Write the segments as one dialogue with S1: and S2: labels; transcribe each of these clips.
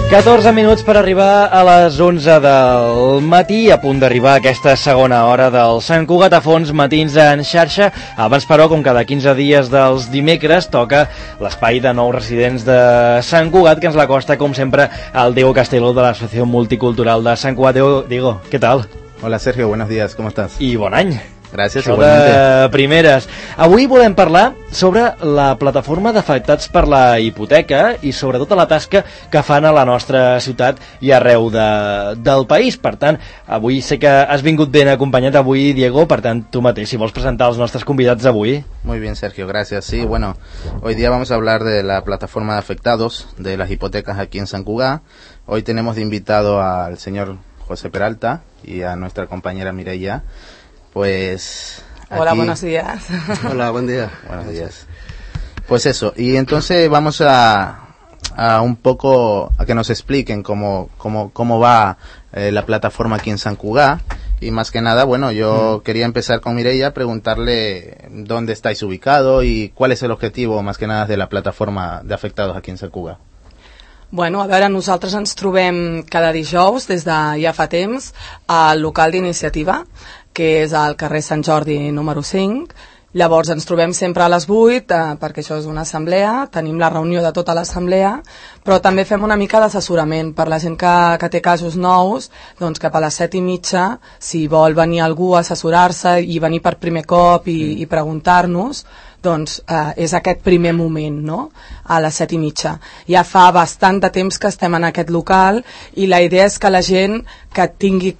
S1: 14 minuts per arribar a les 11 del matí, a punt d'arribar a aquesta segona hora del Sant Cugat a Fons, matins en xarxa. Abans, però, com cada 15 dies dels dimecres, toca l'espai de nous residents de Sant Cugat, que ens l'acosta, com sempre, al Diego Castelo de l'Associació Multicultural de Sant Cugat. Diego, ¿qué tal?
S2: Hola Sergio, buenos días, ¿cómo estás?
S1: I bon any.
S2: Gràcies,
S1: això
S2: igualmente.
S1: De primeres. Avui volem parlar sobre la plataforma d'afectats per la hipoteca i sobretot la tasca que fan a la nostra ciutat i arreu del país. Per tant, avui sé que has vingut ben acompanyat avui, Diego, per tant, tu mateix, si vols presentar els nostres convidats d'avui.
S2: Muy bien, Sergio, gracias. Sí, bueno, hoy día vamos a hablar de la plataforma de afectados de las hipotecas aquí en San Cugat. Hoy tenemos de invitado al señor José Peralta y a nuestra compañera Mireia. Pues
S3: hola,
S2: aquí...
S3: buenos días.
S4: Hola, buen día.
S2: Buenos días. Pues eso, y entonces vamos a un poco a que nos expliquen cómo va la plataforma aquí en San Cugat. Y más que nada, bueno, yo quería empezar con Mireia, preguntarle dónde estáis ubicado y cuál es el objetivo más que nada de la plataforma de afectados aquí en San Cugat.
S3: Bueno, a veure, nosaltres ens trobem cada dijous des de ja fa temps al local d'iniciativa, que és al carrer Sant Jordi número 5. Llavors ens trobem sempre a les 8 perquè això és una assemblea, tenim la reunió de tota l'assemblea, però també fem una mica d'assessorament per la gent que té casos nous, doncs cap a les 7:30, si vol venir algú a assessorar-se i venir per primer cop i preguntar-nos, doncs és aquest primer moment, no? A les 7:30. Ja fa bastant de temps que estem en aquest local i la idea és que la gent que tingui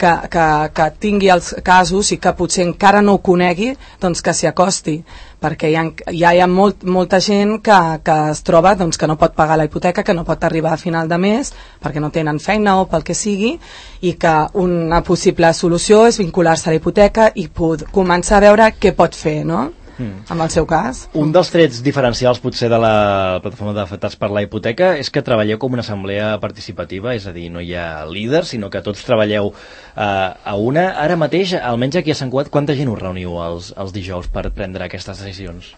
S3: els casos i que potser encara no ho conegui, doncs que s'hi acosti, perquè hi ha molta gent que es troba doncs, que no pot pagar la hipoteca, que no pot arribar a final de mes perquè no tenen feina o pel que sigui, i que una possible solució és vincular-se a la hipoteca i començar a veure què pot fer, no? En el seu cas.
S1: Un dels trets diferencials potser de la plataforma d'afectats per la hipoteca és que treballeu com una assemblea participativa, és a dir, no hi ha líders, sinó que tots treballeu a una. Ara mateix, almenys aquí a Sant Cugat, quanta gent us reuniu els dijous per prendre aquestes decisions?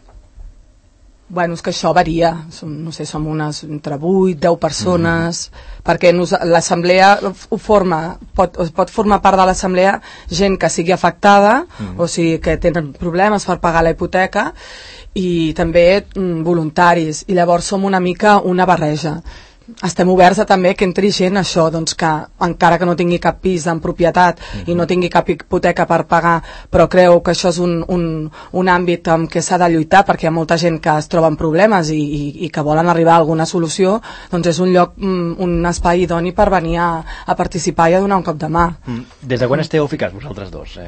S3: Bueno, és que això varia, no sé, som unes entre 8, 10 persones, perquè l'assemblea pot formar part de l'assemblea gent que sigui afectada, o sigui, que tenen problemes per pagar la hipoteca, i també voluntaris, i llavors som una mica una barreja. Estem oberts a també que entri gent, això, doncs que encara que no tingui cap pis en propietat i no tingui cap hipoteca per pagar, però creu que això és un àmbit en què s'ha de lluitar perquè hi ha molta gent que es troba en problemes i que volen arribar a alguna solució, doncs és un lloc, un espai idoni per venir a participar i a donar un cop de mà.
S1: Des de quan esteu ficats vosaltres dos?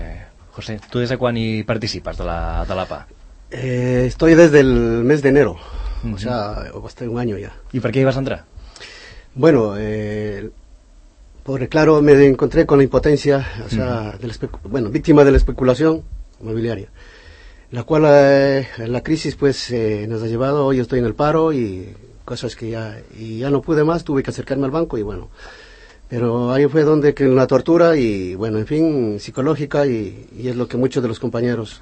S1: José, tu des de quan hi participes de la PA?
S4: Estoy desde el mes de enero, o sea, hasta un año ya.
S1: ¿Y por qué ibas a entrar?
S4: Bueno, porque claro, me encontré con la impotencia, o sea, víctima de la especulación inmobiliaria, la cual la crisis pues nos ha llevado. Hoy estoy en el paro y cosas que ya no pude más, tuve que acercarme al banco y bueno, pero ahí fue donde que la tortura y bueno, en fin, psicológica y es lo que muchos de los compañeros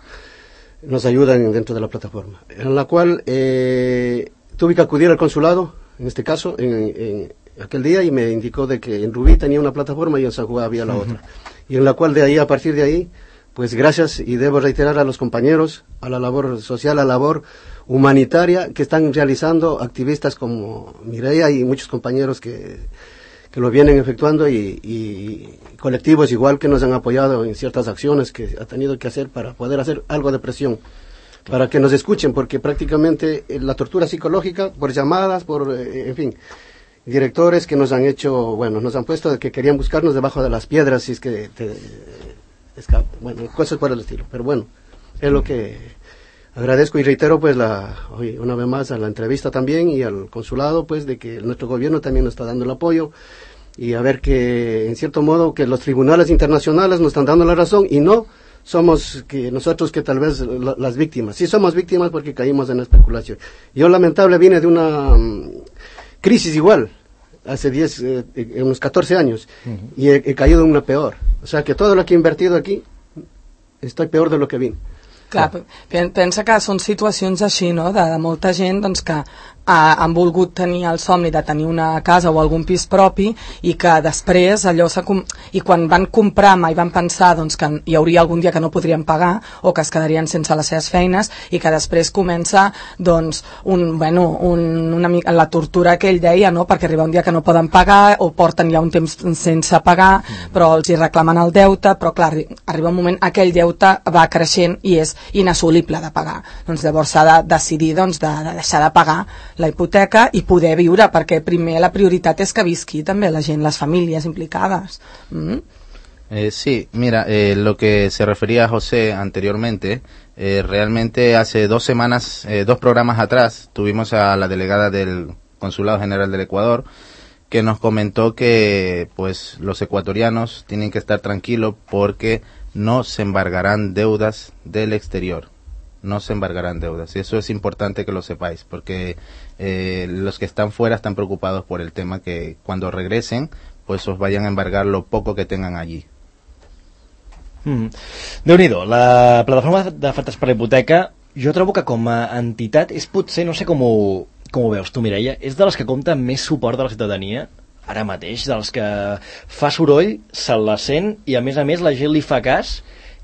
S4: nos ayudan dentro de la plataforma, en la cual tuve que acudir al consulado, en este caso, en aquel día, y me indicó de que en Rubí tenía una plataforma y en San Cugat había la otra, y en la cual a partir de ahí, pues gracias, y debo reiterar a los compañeros, a la labor social, a la labor humanitaria que están realizando activistas como Mireia y muchos compañeros que lo vienen efectuando y colectivos igual que nos han apoyado en ciertas acciones que ha tenido que hacer para poder hacer algo de presión, para que nos escuchen, porque prácticamente la tortura psicológica por llamadas, en fin, directores que nos han hecho, bueno, nos han puesto de que querían buscarnos debajo de las piedras, si es que bueno, cosas por el estilo, pero bueno, es lo que agradezco y reitero pues hoy una vez más a la entrevista también y al consulado pues de que nuestro gobierno también nos está dando el apoyo y a ver que en cierto modo que los tribunales internacionales nos están dando la razón y no somos que nosotros que tal vez las víctimas. Sí somos víctimas porque caímos en la especulación. Yo lamentable vine de una crisis igual, hace unos 14 años, y he caído en una peor. O sea que todo lo que he invertido aquí, estoy peor de lo que vine.
S3: Clar, pensa que són situacions així, no?, de molta gent doncs, que han volgut tenir el somni de tenir una casa o algun pis propi i que després allò i quan van comprar mai van pensar doncs, que hi hauria algun dia que no podrien pagar o que es quedarien sense les seves feines i que després comença doncs, una mica la tortura que ell deia, no? Perquè arriba un dia que no poden pagar o porten ja un temps sense pagar però els hi reclamen el deute, però clar, arriba un moment aquell deute va creixent i és inassolible de pagar. Doncs llavors s'ha de decidir doncs, de deixar de pagar la hipoteca i poder viure, perquè primer la prioritat és que visqui també la gent, les famílies implicades.
S2: Sí, mira, lo que se refería a José anteriormente, realmente hace 2 semanas, 2 programas atrás, tuvimos a la delegada del Consulado General del Ecuador, que nos comentó que pues los ecuatorianos tienen que estar tranquilos porque no se embargarán deudas del exterior. No se embargarán deudas. Y eso es importante que lo sepáis, porque los que están fuera están preocupados por el tema que cuando regresen, pues os vayan a embargar lo poco que tengan allí.
S1: Déu-n'hi-do, la plataforma d'afectats per la hipoteca, jo trobo que com a entitat és potser, no sé com ho veus tu, Mireia, és de les que compta més suport de la ciutadania ara mateix, dels que fa soroll, se la sent i a més la gent li fa cas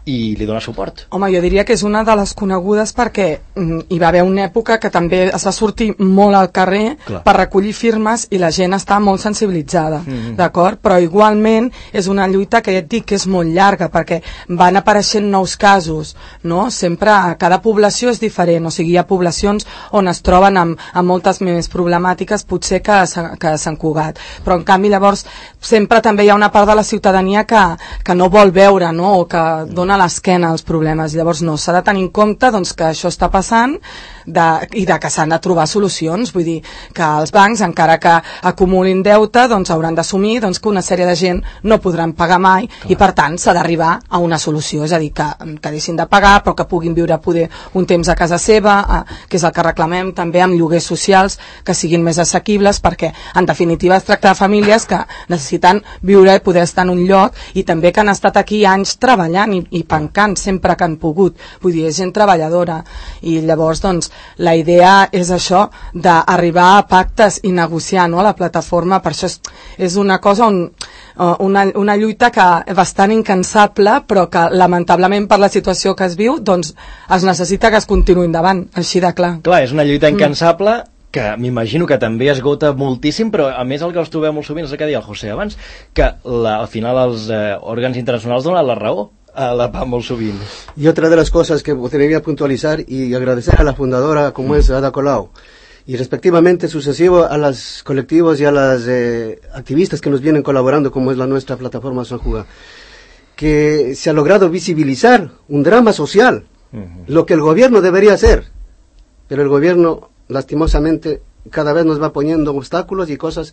S1: i li dona suport.
S3: Home, jo diria que és una de les conegudes perquè hi va haver una època que també es va sortir molt al carrer per recollir firmes i la gent està molt sensibilitzada, d'acord? Però igualment és una lluita que ja et dic que és molt llarga perquè van apareixent nous casos, no? Sempre cada població és diferent, o sigui, hi ha poblacions on es troben amb moltes més problemàtiques potser que Sant Cugat, però en canvi llavors sempre també hi ha una part de la ciutadania que no vol veure, no? O que dona l'esquena als problemes. Llavors no, s'ha de tenir en compte doncs, que això està passant i que s'han de trobar solucions. Vull dir que els bancs, encara que acumulin deute, doncs hauran d'assumir doncs, que una sèrie de gent no podran pagar mai i per tant s'ha d'arribar a una solució, és a dir, que deixin de pagar però que puguin viure poder un temps a casa seva, que és el que reclamem també amb lloguers socials que siguin més assequibles, perquè en definitiva es tracta de famílies que necessiten viure i poder estar en un lloc i també que han estat aquí anys treballant i pencant sempre que han pogut, vull dir, és gent treballadora i llavors doncs la idea és això d'arribar a pactes i negociar, no? A la plataforma, per això és una cosa una lluita que bastant incansable però que lamentablement per la situació que es viu doncs es necessita que es continuï endavant, així de clar.
S1: Clar, és una lluita incansable que m'imagino que també esgota moltíssim, però a més el que els trobem molt sovint és el que deia el José abans, que al final els òrgans internacionals donen la raó a la PAM molt sovint.
S4: Y otra de las cosas que podría puntualizar y agradecer a la fundadora como es Ada Colau y respectivamente sucesivo a los colectivos y a las activistas que nos vienen colaborando como es la nuestra plataforma San Cugat, que se ha logrado visibilizar un drama social, lo que el gobierno debería hacer, pero el gobierno lastimosamente cada vez nos va poniendo obstáculos y cosas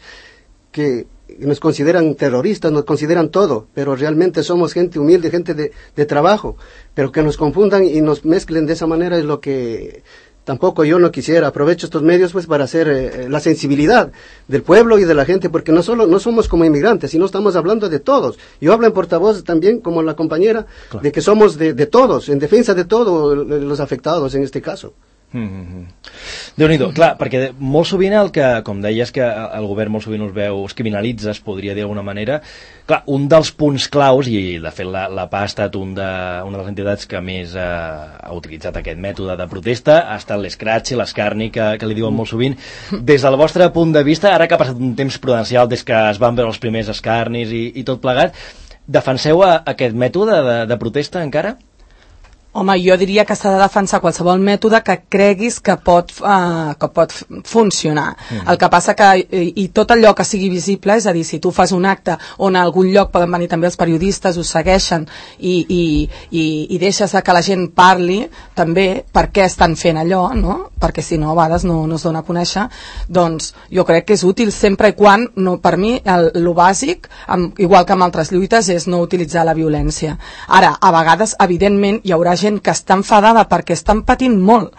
S4: que nos consideran terroristas, nos consideran todo, pero realmente somos gente humilde, gente de trabajo, pero que nos confundan y nos mezclen de esa manera es lo que tampoco yo no quisiera. Aprovecho estos medios pues para hacer la sensibilidad del pueblo y de la gente, porque no somos como inmigrantes, sino estamos hablando de todos. Yo hablo en portavoz también, como la compañera, de que somos de todos, en defensa de todos los afectados en este caso.
S1: Déu-n'hi-do, clar, perquè molt sovint el que, com deies, que el govern molt sovint es criminalitza, es podria dir d'alguna manera. Clar, un dels punts claus, i de fet la PA ha estat una de les entitats que més ha utilitzat aquest mètode de protesta, ha estat l'escratch i l'escarni que li diuen molt sovint. Des del vostre punt de vista, ara que ha passat un temps prudencial des que es van veure els primers escarnis i tot plegat, defenseu aquest mètode de protesta encara?
S3: Home, jo diria que s'ha de defensar qualsevol mètode que creguis que pot funcionar. El que passa que, i tot allò que sigui visible, és a dir, si tu fas un acte on a algun lloc poden venir també els periodistes, us segueixen i deixes que la gent parli també per què estan fent allò, no? Perquè si no a vegades no es dona a conèixer, doncs jo crec que és útil sempre i quan, per mi, el bàsic, igual que amb altres lluites, és no utilitzar la violència. Ara, a vegades, evidentment, hi haurà gent que està enfadada perquè estan patint molt.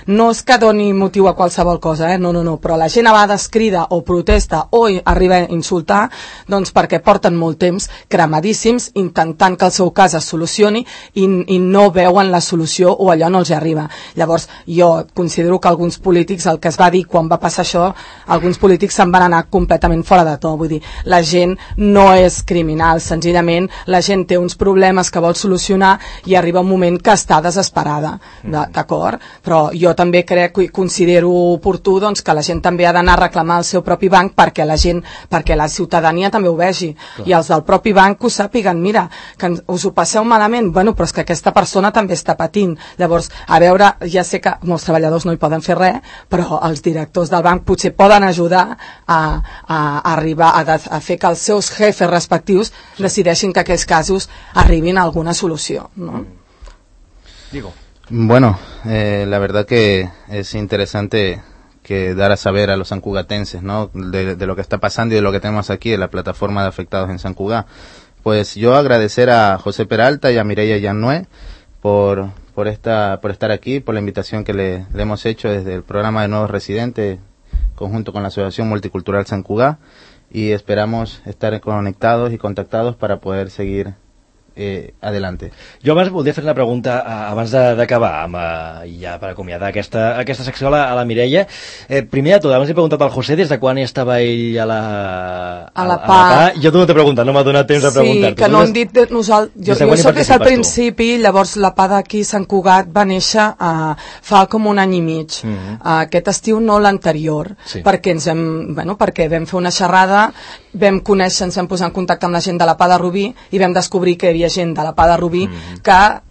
S3: No és que doni motiu a qualsevol cosa, no, però la gent a vegades crida o protesta o arriba a insultar, doncs perquè porten molt temps cremadíssims intentant que el seu cas es solucioni i no veuen la solució o allò no els arriba. Llavors, jo considero que alguns polítics, el que es va dir quan va passar això, alguns polítics se'n van anar completament fora de to. Vull dir, la gent no és criminal, senzillament la gent té uns problemes que vol solucionar i arriba un moment que està desesperada, d'acord? Però jo també crec i considero oportú doncs, que la gent també ha d'anar a reclamar el seu propi banc perquè la ciutadania també ho vegi. I els del propi banc ho sàpiguen, mira, que us ho passeu malament, bueno, però és que aquesta persona també està patint. Llavors, a veure, ja sé que molts treballadors no hi poden fer res, però els directors del banc potser poden ajudar a arribar a fer que els seus jefes respectius decideixin que aquells casos arribin a alguna solució, ¿no?
S1: Digo.
S2: Bueno, la verdad que es interesante que dar a saber a los sancugatenses, ¿no? De lo que está pasando y de lo que tenemos aquí en la plataforma de afectados en San Cugat. Pues yo agradecer a José Peralta y a Mireia Llannoy por estar aquí, por la invitación que le hemos hecho desde el programa de Nuevos Residentes, conjunto con la Asociación Multicultural Sant Cugat, y esperamos estar conectados y contactados para poder seguir adelante.
S1: Jo abans voldria fer una pregunta abans d'acabar ja per acomiadar aquesta secció a la Mireia. Primer de tot, abans he preguntat al José des de quan estava ell a la PA. Jo no t'he preguntat, no m'ha donat temps de preguntar-te.
S3: Sí, que no hem dit nosaltres. Jo soc des del principi, llavors la PA d'aquí Sant Cugat va néixer fa com un any i mig. Aquest estiu no l'anterior, perquè vam fer una xerrada, vam conèixer, ens vam posar en contacte amb la gent de la PA de Rubí i vam descobrir que hi havia gent de la PA de Rubí que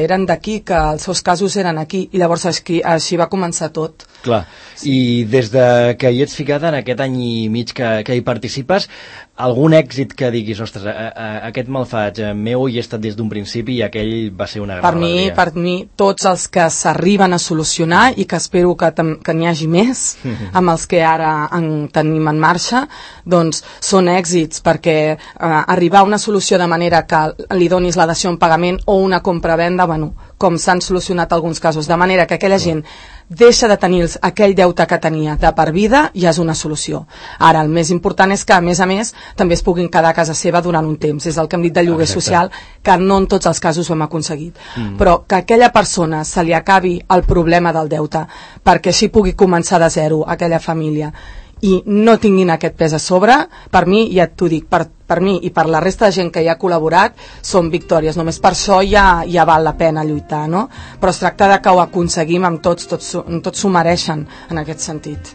S3: eren d'aquí, que els seus casos eren aquí, i llavors així va començar tot.
S1: Clar, i des de que hi ets ficada en aquest any i mig que hi participes, algun èxit que diguis, ostres, aquest me'l faig meu i he estat des d'un principi i aquell va ser una gran alegria?
S3: Per mi, tots els que s'arriben a solucionar, i que espero que n'hi hagi més, amb els que ara tenim en marxa, doncs són èxits, perquè arribar a una solució de manera que li donis la dació en pagament o una compra-venda, bueno, com s'han solucionat alguns casos, de manera que aquella gent deixa de tenir aquell deute que tenia de per vida, ja és una solució. Ara, el més important és que, a més, també es puguin quedar a casa seva durant un temps. És el que hem dit de lloguer social, que no en tots els casos ho hem aconseguit. Però que a aquella persona se li acabi el problema del deute, perquè així pugui començar de zero aquella família, i no tinguin aquest pes a sobre, per mi, ja t'ho dic, per mi i per la resta de gent que hi ha col·laborat, són victòries. Només per això ja val la pena lluitar, no? Però es tracta de que ho aconseguim amb tots s'ho mereixen en aquest sentit.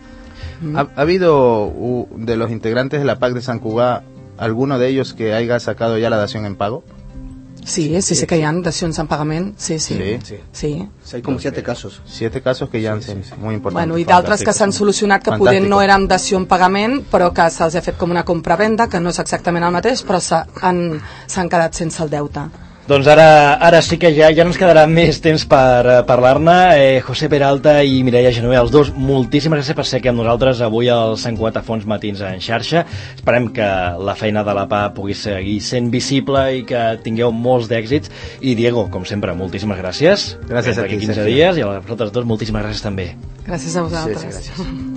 S2: ¿Ha habido de los integrantes de la PAC de Sant Cugat alguno de ellos que haya sacado ya la dación en pago?
S3: Sí, que hi ha dacions en pagament. Sí.
S4: Hay como 7 casos.
S2: 7 casos que ja han sido muy importantes.
S3: Bueno, i d'altres que s'han solucionat que poder no eren dació en pagament, però que se'ls ha fet com una compra-venda, que no és exactament el mateix, però s'han quedat sense el deute.
S1: Doncs ara sí que ja no ens quedarà més temps per parlar-ne. José Peralta i Mireia Llannoy, els dos, moltíssimes gràcies per ser aquí amb nosaltres avui al Sant Cugat a Fons Matins en xarxa. Esperem que la feina de la PA pugui seguir sent visible i que tingueu molts d'èxits. I Diego, com sempre, moltíssimes gràcies.
S2: Gràcies a ti,
S1: 15 dies, i a vosaltres dos moltíssimes gràcies també.
S3: Gràcies a vosaltres.
S4: Sí, gràcies.